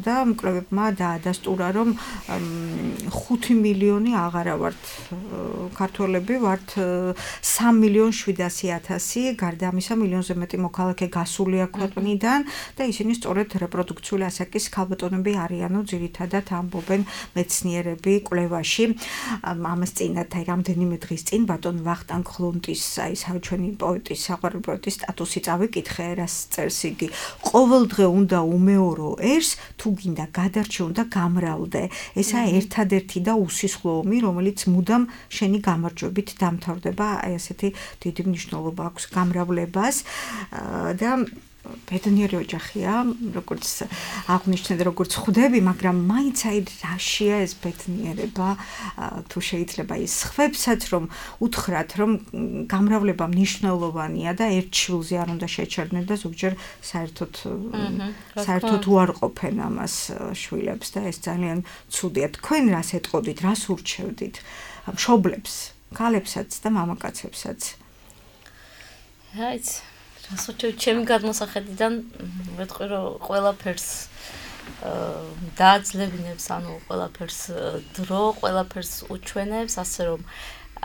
და მკვლევებმა დაადასტურა, რომ 5 მილიონი აღარა ვართ ქართველები, ვართ 3,700,000 გარდა ამისა მილიონზე მეტი მოქალაქე გასულია ქვეყნიდან და ისინი სწორედ რეპროდუქციული ასაკის ქალბატონები არიანო ძირითადად ამბობენ მეცნიერები კვლევაში. ამას წინათ აი რამდენიმე დღის წინ ბატონ ვახტანგ ხლუნტის აი საჩვენი პოეტის საყვარელი პოეტის სტატუსი წავიკითხე, რას წერს იგი. ყოველ დღე უნდა უმეორო ერს, თუ გინდა გადარჩე უნდა გამრავლდე. ესაა ერთადერთი და უსისხლო ომი, რომელიც მუდამ შენი გამარჯვებით დამთავრდება. აი ასეთი დიდი მნიშვნელობა აქვს გამრავლებას და ბედნიერი ოჯახია, როგორც აღნიშნეთ, როგორც ხვდები, მაგრამ მაინც აი რაშია ეს ბედნიერება, თუ შეიძლება ის ხვებსაც რომ უთხრათ, რომ გამრავლება მნიშვნელოვანია და ერთ შვილზე არ უნდა შეჩერდნენ და ზოგჯერ საერთოდ უარყოფენ ამას შვილებს და ეს ძალიან ცუდია. თქვენ რას ეტყოდით, რას ურჩევდით მშობლებს, ქალებსაც და მამაკაცებსაც? აიც ჩემი გადმოსახედიდან ვეთქვი, რომ ყველაფერს დააძლებინებს, ანუ ყველაფერს დრო, ყველაფერს უჩვენებს, ასე რომ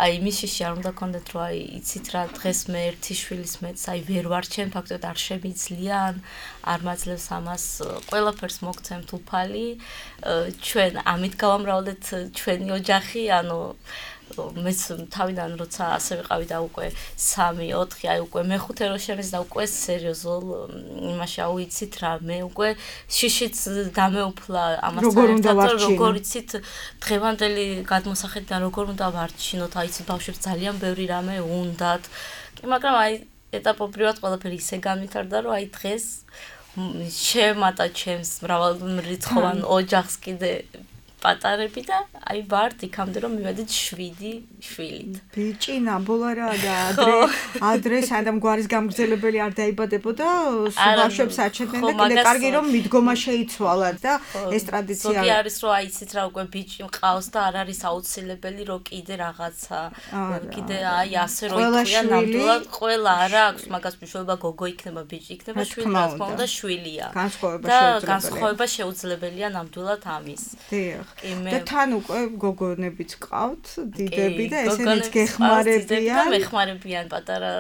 აი მისში არ უნდა გქონდეთ, რომ აი იცით რა, დღეს მე ერთი შვილის მეც აი ვერ ვარჩენ, ფაქტობრივად არ შემიძლია, არ მაძლევს ამას, ყველაფერს მოგცემთ უფალი, ჩვენ ამით გავამრავლეთ ჩვენი ოჯახი, ანუ მეც თავიდან როცა ასე ვიყავი და უკვე 3-4 აი უკვე მე-5 რო შემეც და უკვე სერიოზულ იმაში აუიცით რა მე უკვე შიშიც დამეუფლა ამას როგორ იცით დღევანდელი გადმოსახედიდან როგორ უნდა ვარჩინოთ აი იცით ბავშვებს ძალიან ბევრი რამე უნდათ მაგრამ აი ეტაპობრივად ყველაფერი ისე განვითარდა რომ აი დღეს შემატა ჩემს მრავალრიცხოვან ოჯახს კიდე პატარები და აი ვართ იქამდე რომ მივედით 7 შვილით. ბიჭი ნაბოლა რა და ადრე სანამ გვარის გამგრძელებელი არ დაიბადებოდა ბავშვებს აჩენდნენ და კიდე კარგი რომ მიდგომა შეიცვალათ და ეს ტრადიცია ზოგი არის რომ აი იცით რა უკვე ბიჭი მყავს და არ არის აუცილებელი რომ კიდე რაღაცა კიდე აი ასე რომ იყვიან ნამდვილად ყველა არა აქვს მაგას მნიშვნელობა გოგო იქნება ბიჭი იქნება შვილი რა თქმა უნდა შვილია და განსხვავება შეუძლებელია ნამდვილად ამის. დიახ. და თან უკვე გოგონებიც ყავთ, დიდები და ესენიც გეხმარებიან. მეხმარებიან პატარა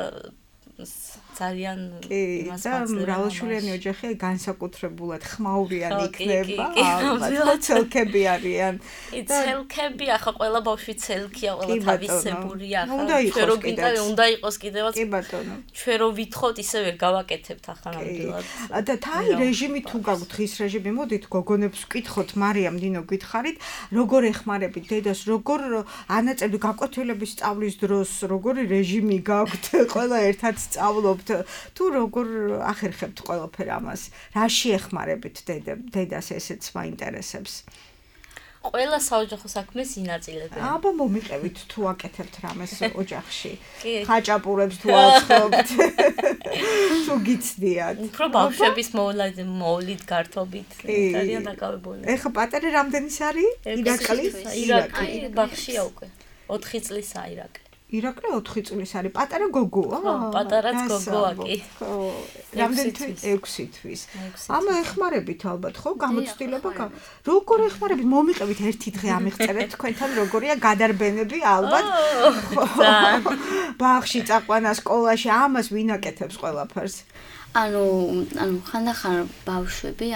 ძალიან იმას მაძლევენ. მრავალშვილიანი ოჯახი განსაკუთრებულად ხმაურიანი იქნება. ალბათ ცელქები არიან. ცელქები ახლა ყველა ბავშვი ცელქია, ყველა თავისებურია ახლა. ჩვენ რო გინდა უნდა იყოს კიდევაც. კი ბატონო. ჩვენ რო ვითხოვთ ისე ვერ გავაკეთებთ ახლა ნამდვილად. და თაი რეჟიმი თუ გაგვთ ხის რეჟიმი, მოდით გოგონებს ვკითხოთ, მარიამ დინო გითხარით, როგორ ეხმარებით დედას, როგორ ანაწევთ გაკვეთილების სწავლის დროს, როგორი რეჟიმი გაგვთ, ყველა ერთად სწავლობთ თუ როგორ ახერხებთ ყველაფერ ამას? რაში ეხმარებით დედას ესეც მაინტერესებს? ყველა საოჯახო საქმეს ინაწილებენ. აბა მომიყევით თუ აკეთებთ რამეს ოჯახში. ხაჭაპურებს თუ აწყობთ. თუ გიცდიათ. უფრო ბავშვების მოვლით გართობით ძალიან დაკავებული. ეხა პატარა რამდენის არის? ირაკლი ბავშვია უკვე. 4 წლისაა ირაკლი. ირაკლი 4 წლის არის. პატარა გოგოა? ხო, პატარაც გოგოა კი. რამდენი თვის? 6 თვის. ამა ეხმარებით ალბათ, ხო? გამოცდილება. როგორ ეხმარებით? მომიყევით ერთი დღე ამიღწერეთ თქვენთან როგორია გადარბენები ალბათ. ბაღში წაყვანა სკოლაში ამას ვინ აკეთებს ყველაფერს? ანუ ხანდახან ბავშვები,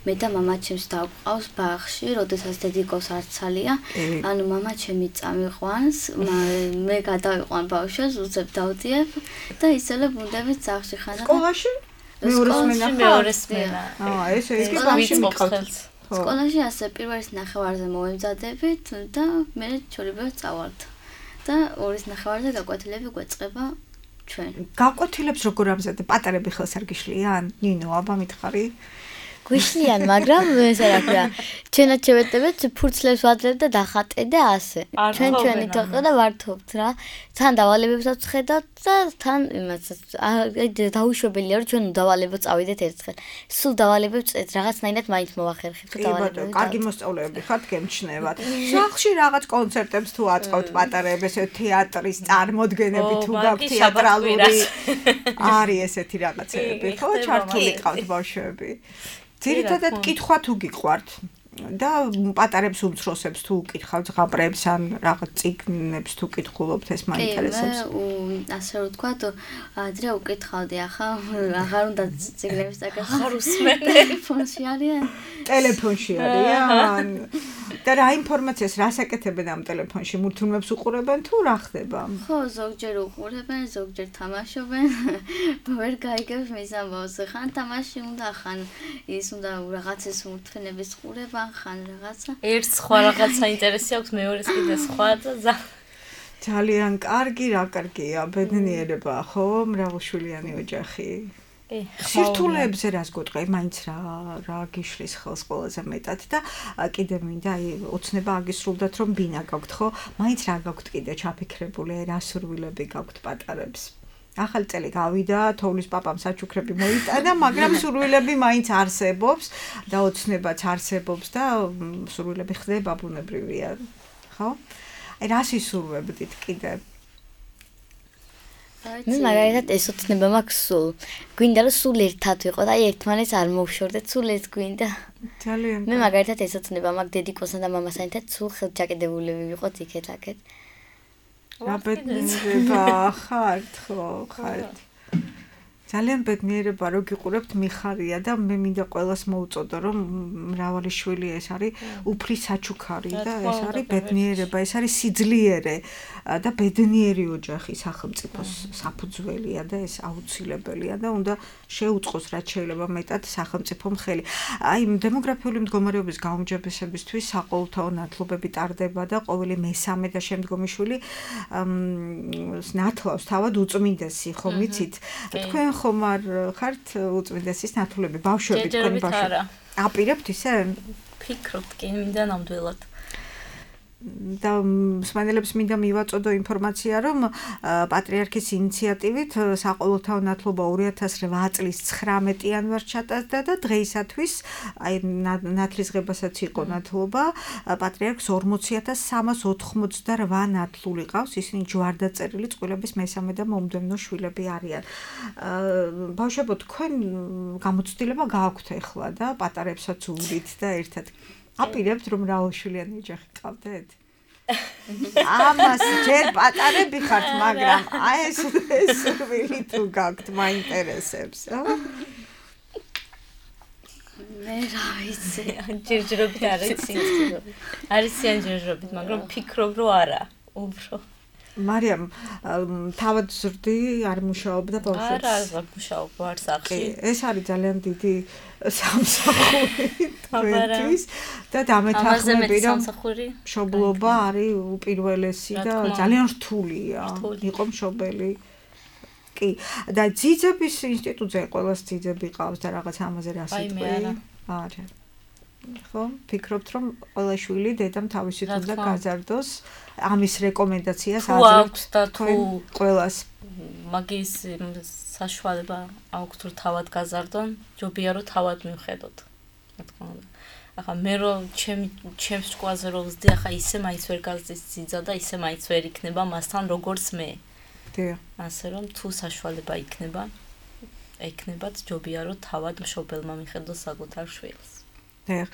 მე და მამა ჩემს დავყავს ბაღში, როდესაც დედიკოს არცალია, მამა ჩემი წამიყვანს, მე გადავიყვან ბავშვებს, უცებ დავდიებ და ისევე ბუნდებით ძაღლში ხანდახან. სკოლაში? მეორე სმენა. ესე იგი ბავშვი მიყავთ. სკოლაში ასე პირველის ნახევარზე მოვემზადებით და მე ჩორებებს წავალთ. და ორის ნახევარზე გაკვეთილები გვეწყება ჩვენ. გაკვეთილებს როგორ ამზადებ? პატარები ხელს არ გიშლიან? ნინო, აბა მითხარი? გვიშლიან, მაგრამ ესე რა ქვია, ჩვენაც შევეტებთ ფურცლებს ვადლებთ და დახატე და ასე. ჩვენი თოყა და ვართობთ რა. თან დავალებებსაც ვხედავთ და თან იმასაც დაუშვებელია რომ ჩვენ დავალებებს წავიდეთ ერთხელ. სულ დავალებებს რაღაცნაირად მაინც მოვახერხებთ დავალებებს. კარგი მოსწავლეები ხართ, გემჩნევათ. სახლში რაღაც კონცერტებს თუ აწყობთ პატარებს, ესე თეატრის წარმოდგენები თუ გაქვთ თეატრალური არის ესეთი რაღაცები, ხო? ჩართული ყავთ ბავშვები. ძირითადად კითხვა თუ გიყვართ და პატარებს უმცროსებს თუ უკითხავთ ზღაპრებს ან რაღაც წიგნებს თუ კითხულობთ ეს მაინტერესებს. მე ასე რომ თქვა, ადრე უკითხავდი, ახლა აღარ უნდა წიგნებს დაკითხო. აღარ უსმენ. ტელეფონში არიან? ტელეფონში არიან. და რა ინფორმაციას რას აკეთებენ ამ ტელეფონში? მულტფილმებს უყურებენ თუ რა ხდება? ხო, ზოგჯერ უყურებენ, ზოგჯერ თამაშობენ. ვერ გაიგებს მის ამბავს, ხან თამაში უნდა, ხან ის უნდა რაღაცის მულტფილმების ყურება, ხან რაღაცა. ერთ სხვა რაღაცა ინტერესი აქვს, მეორეს კიდე სხვა და ძალიან კარგი, რა კარგია, ბედნიერება, ხო, მრავალშვილიანი ოჯახი. სირთულეებზე რას გეტყვი, მაინც რა გიშლის ხელს ყველაზე მეტად და კიდე მინდა ოცნება აგისრულდათ რომ ბინა გაქვთ, ხო? მაინც რა გაქვთ კიდე ჩაფიქრებული, რა სურვილები გაქვთ პატარებს? ახალი წელი გავიდა, თოვლის პაპამ საჩუქრები მოიტანა, მაგრამ სურვილები მაინც არსებობს და ოცნებაც არსებობს და სურვილები ხდება ბუნებრივია, ხო? რა სისურვებდით კიდე? მე მაგალითად ეს ოცნება მაქვს სულ. გვინდა რომ სულ ერთად ვიყო და ერთმანეთს არ მოვშორდეთ, სულ ეს გვინდა. ძალიან. მე მაგალითად ეს ოცნება მაქვს დედიკოსთან და მამასთან ერთად სულ ხელჯაკედებულები ვიყოთ იქეთ-აქეთ. რა ბედნიერება ხართ, ხო, ხართ. ძალიან ბედნიერება რომ გიყურებთ მიხარია და მე მინდა ყველას მოუწოდო რომ მრავალი შვილი ეს არის უფლის საჩუქარი და ეს არის ბედნიერება, ეს არის სიძლიერე და ბედნიერი ოჯახი სახელმწიფოს საფუძველია და ეს აუცილებელია და უნდა შეუწყოს რაც შეიძლება მეტად სახელმწიფომ ხელი. აი დემოგრაფიული მდგომარეობის გაუმჯობესებისთვის საყოველთაო ნათლობები ტარდება და ყოველი მესამე და შემდგომი შვილი ნათლავს თავად უწმინდესი, ხომ იცით? თქვენ ხომ არ ხართ უწმინდესის ნათლები ბავშვები თქვენი ბავშვები? აპირებთ ისე? ფიქრობთ კი, მინდა ნამდვილად. და მსმენელებს მინდა მივაწოდო ინფორმაცია, რომ პატრიარქის ინიციატივით საყოველთაო ნათლობა 2008 წლის 19 იანვარს ჩატარდა და დღეისათვის აი ნათლისღებასაც იყო ნათლობა პატრიარქს 40388 ნათლული ყავს, ისინი ჯვარდაწერილი წყვილების მესამე და მომდევნო შვილები არიან. ბავშვებო, თქვენ გამოცდილება გააქვთ ახლა და პატარებსაც ურით და ერთად აპირებთ რომ მრავალშვილიანი ოჯახი ყავდეთ? ამას ჯერ პატარები ხართ, მაგრამ აი ეს სურვილი თუ გაქვთ, მაინტერესებს, რა? მე რა ვიცი, ჯერჯერობით არ იცი. არიციან ჯერჯერობით, მაგრამ ფიქრობ რომ არა, უფრო. მარიამ, თავად ზრდი არ მუშაობდა ბავშვებს? არა, მუშაობ ვარ სახლში. ეს არის ძალიან დიდი სამსახური თქვენთვის და დამეთანხმები რომ მშობლობა არის უპირველესი და ძალიან რთულია იყო მშობელი. კი, და ძიძების ინსტიტუტზე ყველას ძიძები ყავს და რაღაც ამაზე რა სიტყვი? არა. ხო, ფიქრობთ რომ ყველა შვილი დედამ თავისით უნდა გაზარდოს, ამის რეკომენდაციას აძლევთ და თუ ყველას მაგის საშუალება აქვს თუ თავად გაზარდონ, ჯობია რომ თავად მივხედოთ. რა თქმა უნდა. ახლა მე რომ ჩემს სკოლაზე რომ ვზდი, ახლა ისე მაინც ვერ გაზრდის ძიძა და ისე მაინც ვერ იქნება მასთან როგორც მე. დიახ. ასე რომ თუ საშუალება იქნებათ, ჯობია რომ თავად მშობელმა მიხედოს საკუთარ შვილს. დიახ.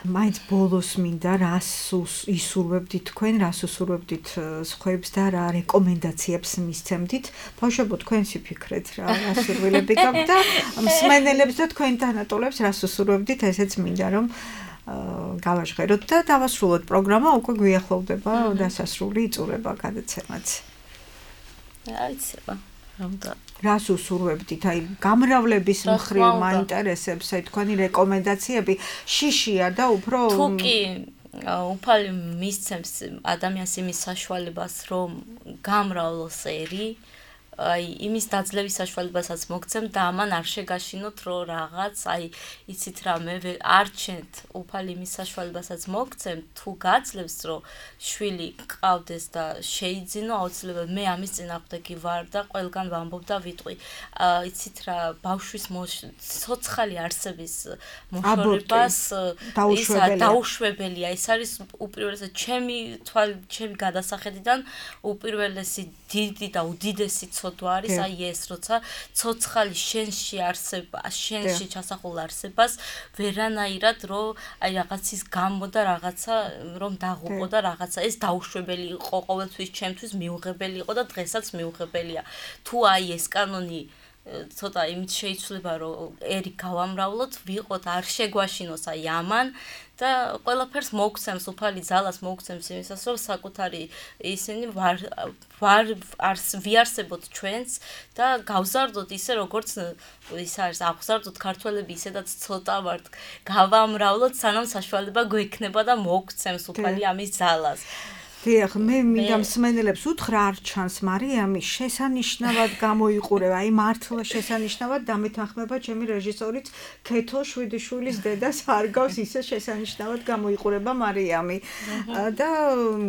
მაინც ბოლოს მინდა რას ისურვებდით თქვენ, რას უსურვებდით სხვებს და რა რეკომენდაციებს მისცემდით. ბავშვებო, თქვენსი ფიქრეთ რა ასურვილები გაქვთ და მსმენელებს და თქვენ თანატოლებს რას უსურვებდით, ესეც მინდა რომ გავაჟღეროთ და დავასრულოთ პროგრამა, უკვე გვიახლოვდება დასასრული იწურება გადაცემაც. აიცება. რას უსურვებდით? აი, გამრავლების მხრივ მაინტერესებს, აი თქვენი რეკომენდაციები შიშია და უფრო თუ კი უფალი მისცემს ადამიანს იმის საშუალებას, რომ გამრავლოს ერი, აი იმის დაძლევის საშუალებასაც მოგცემ და ამან არ შეგაშინოთ რომ რაღაც, აი იცით რა, მე არ ჩენთ უფალი იმის საშუალებასაც მოგცემ, თუ გაძლევს რომ შვილი ყავდეს და შეიძინო, აუცილებლად მე ამის წინააღმდეგი ვარ და ყველგან ვამბობ და ვიტყვი. იცით რა, ბავშვის ცოცხალი არსების მოშორებას დაუშვებელია. ეს არის უპირველესად ჩემი გადასახედიდან უპირველესი დიდი და უდიდესი ცოდვა არის აი ეს, როცა ცოცხალი შენში ჩასახულ არსებას ვერანაირად რომ აი რაღაცის გამო და რაღაცა რომ დაღუპო და რაღაცა ეს დაუშვებელი იყო ყოველთვის ჩემთვის მიუღებელი იყო და დღესაც მიუღებელია. თუ აი ეს კანონი ცოტა იმით შეიცვლება რომ ერი გავამრავლოთ, ვიყოთ არ შეგვაშინოს აი ამან და ყველაფერს მოგცემს უფალი ძალას მოგცემს იმისას რომ საკუთარი ისინი ვიარსებოთ ჩვენს და გავზარდოთ ისე როგორც ის არის აღზარდოთ ქართველები ისედაც ცოტა ვართ გავამრავლოთ სანამ საშუალება გვექნება და მოგცემს უფალი ამის ძალას. დიახ, მე მინდა მსმენელებს უთხრა არ ჩანს მარიამი შესანიშნავად გამოიყურება, აი მართლა შესანიშნავად დამეთანხმება ჩემი რეჟისორიც ქეთო შვიდიშვილის დედას არ გავს ისე შესანიშნავად გამოიყურება მარიამი და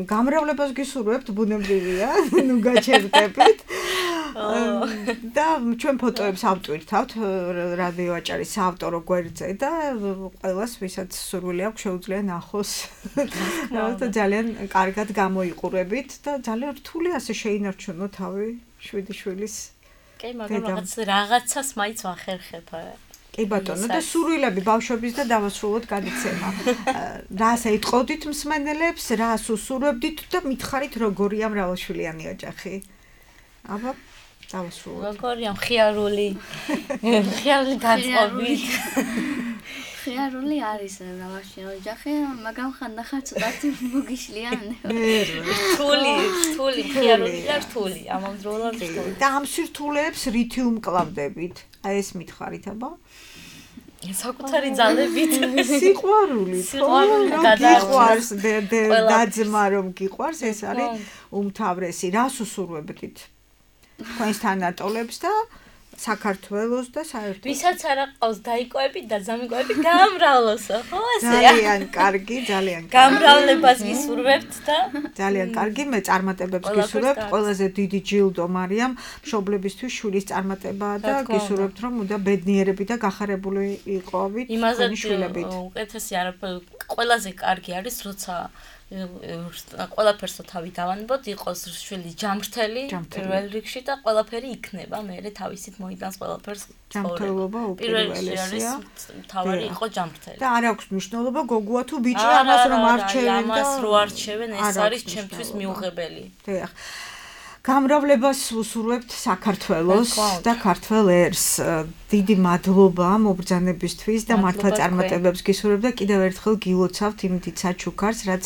გამრავლებას გისურვებთ, ბუნებრივია, ნუ გაჩერდებით. და ჩვენ ფოტოებს ავტვირთავთ რადიო აჭარის საავტორო გვერდზე და ყველას ვისაც სურვილი აქვს შეუძლია ნახოს. და ძალიან კარგად გამოიყურებით და ძალიან რთული ასე შეინარჩუნო თავი შვიდიშვილის. კი, მაგრამ რაღაცას მაინც ვახერხებ. კი ბატონო, და სურვილები ბავშვების და დავასრულოთ გადაცემა. რას ეტყოდით მსმენელებს, რას უსურვებდით და მითხარით როგორია მრავალშვილიანი ოჯახი? აბა დავასრულოთ. როგორია მხიარული გაწყობით. მხიარული არის მრავალშვილიანი ოჯახი, მაგრამ ხანდახან ცოტათი მოგიშლიან. რთული, მხიარული და რთული, ამავდროულად რთული. და ამ სირთულეებს რითი უმკლავდებით? აი ეს მითხარით, აბა? საკუთარი ძალებით. სიყვარული, გადაყვარს დაძმა რომ გიყვარს, ეს არის უმთავრესი. რას უსურვებდით? თქვენს თანატოლებს და საქართველოს და საერთოდ ვისაც არ აყავს დაიკვები და დამიკვები გამრავლოსო, ხო ასეა? ძალიან კარგი, ძალიან კარგი. გამრავლებას ვისურვებთ და ძალიან კარგი, მე წარმატებებს გისურვებთ. ყველაზე დიდი ჯილდო მარიამ მშობლებისთვის შვილის წარმატებაა და გისურვებთ რომ უნდა ბედნიერები და გახარებული იყოვით თქვენი შვილებით. უკეთესი არაფერი, ყველაზე კარგი არის, როცა ყველაფერს თავი დავანებოთ, იყოს შვილი ჯამრთელი პირველ რიგში და ყველაფერი იქნება, მე თავისით მოიტანს ყველაფერს. ჯამრთელობა უპირველესია. თავარი იყო ჯამრთელი. და არ აქვს მნიშვნელობა გოგოა თუ ბიჭი, ამას რომ არჩევენ და ამას რო არჩევენ, ეს არის ჩემთვის მიუღებელი. დიახ. გამრავლებას უსურვებთ საქართველოს და ქართველ ერს. დიდი მადლობა მობრძანებისთვის და მართლა წარმატებებს გისურვებთ და კიდევ ერთხელ გილოცავთ იმ დიდ საჩუქარს, რაც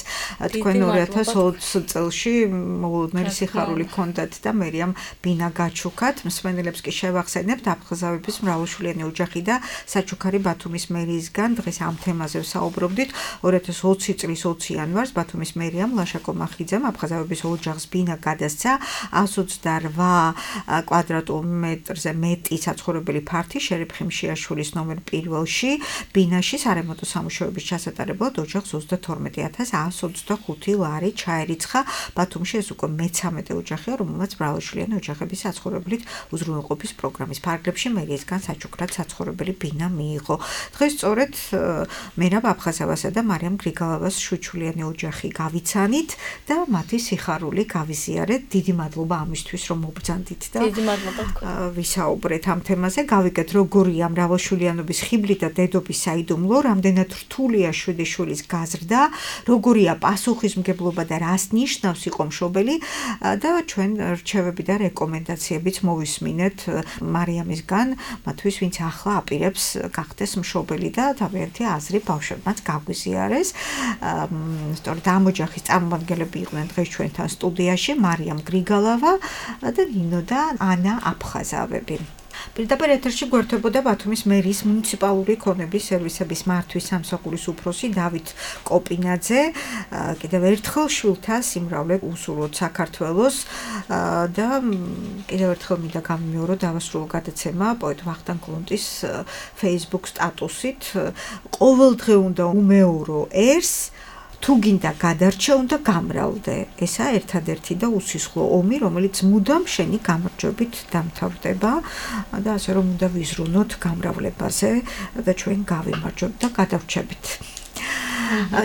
თქვენ 2020 წელში მოულოდნელი სიხარული ჰქონდათ და მერიამ ბინა გაჩუქათ. მსმენელებს კი შევახსენებთ აფხაზავების მრავალშვილიანი ოჯახი და საჩუქარი ბათუმის მერიისგან. დღეს ამ თემაზე ვსაუბრობდით. 2020 წლის 20 იანვარს ბათუმის მერიამ ლაშაკო მახიძემ აფხაზავების ოჯახს ბინა გადასცა. 128 კვადრატმეტრზე მეტი საცხოვრებელი ფართი შერიფ ხიმშიაშვილის ნომერ 1-ში ბინაში სარემონტო სამუშაოების ჩასატარებლად ოჯახს 32125 ლარი ჩაერიცხა. ბათუმში ეს უკვე მე-13 ოჯახია, რომელმაც მრავალშვილიანი ოჯახების საცხოვრებლით უზრუნველყოფის პროგრამის ფარგლებში მერიისგან საჩუქრად საცხოვრებელი ბინა მიიღო. დღეს სწორედ მერაბ აფხაზავასა და მარიამ გრიგალავას შვიდშვილიანი ოჯახი გავიცანით და მათი სიხარული გავიზიარეთ. დიდი მადლობა ამისთვის, რომ მობრძანდით და დიდი მადლობა თქვენ. ვისაუბრეთ ამ თემაზე. გავიგეთ, როგორია მრავალშვილიანობის ხიბლი და დედობის საიდუმლო, რამდენად რთულია 7 შვილის გაზრდა, როგორია პასუხისმგებლობა და რას ნიშნავს იყო მშობელი და ჩვენ რჩევები და რეკომენდაციებიც მოვისმინეთ მარიამისგან, მათთვის ვინც ახლა აპირებს გახდეს მშობელი და თავიანთი აზრი ბავშვებმაც გაგვიზიარეს. სწორედ ამ ოჯახის წარმომადგენლები იყვნენ დღეს ჩვენთან სტუდიაში მარიამ გრიგალავა და ნინო და ანა აფხაზავები. პირდაპირ ეთერში გვერდებოდა ბათუმის მერის მუნიციპალური ქონების სერვისების მართვის სამსახურის უფროსი დავით კოპინაძე. კიდევ ერთხელ შვილთა სიმრავლე უსურვოთ საქართველოს და კიდევ ერთხელ მინდა გამიმეორო დავასრულო გადაცემა პოეტ ვახტანგ გლუნტის Facebook სტატუსით. ყოველდღე უნდა უმეორო ერს, თუ გინდა გადარჩე, უნდა გამრავლდე. ესაა ერთადერთი და უსისხლო ომი, რომელიც მუდამ შენი გამარჯვებით დამთავრდება და ასე რომ უნდა ვიზრუნოთ გამრავლებაზე და ჩვენ გავიმარჯვებთ და გადავრჩებით.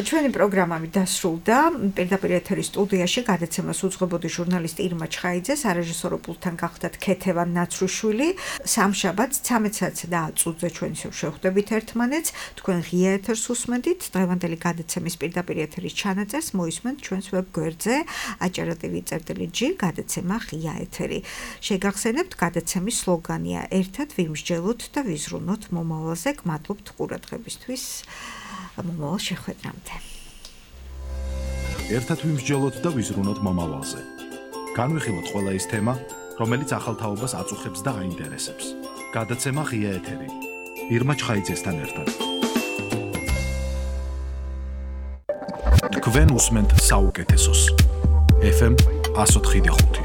ჩვენი პროგრამები დასრულდა. პირდაპირ ეთერის სტუდიაში გადაცემას უძღვებოდი ჟურნალისტი ირმა ჩხაიძე, სარეჟისორო პულტთან გახდათ ქეთევან ნაცრუშვილი. სამშაბათს 13:10 ჩვენ ისევ შევხვდებით ერთმანეთს. თქვენ ღია ეთერს უსმენთ. დღევანდელი გადაცემის პირდაპირ ეთერის ჩანაწერს მოისმენთ ჩვენს ვებ გვერდზე acara.tv/g გადაცემა ღია ეთერი. შეგახსენებთ, გადაცემის სლოგანია ერთად ვიმსჯელოთ და ვიზრუნოთ მომავალზე. გმადლობთ ყურადღებისთვის. მომავალ შეხვედრამდე. ერთად ვიმსჯელოთ და ვიზრუნოთ მომავალზე. განვიხილოთ ყველა ის თემა, რომელიც ახალ თაობას აწუხებს და აინტერესებს. გადაცემა ღია ეთერი. ირმა ჩხაიძესთან ერთად. თქვენ უსმენთ საუკეთესოს. FM 104.5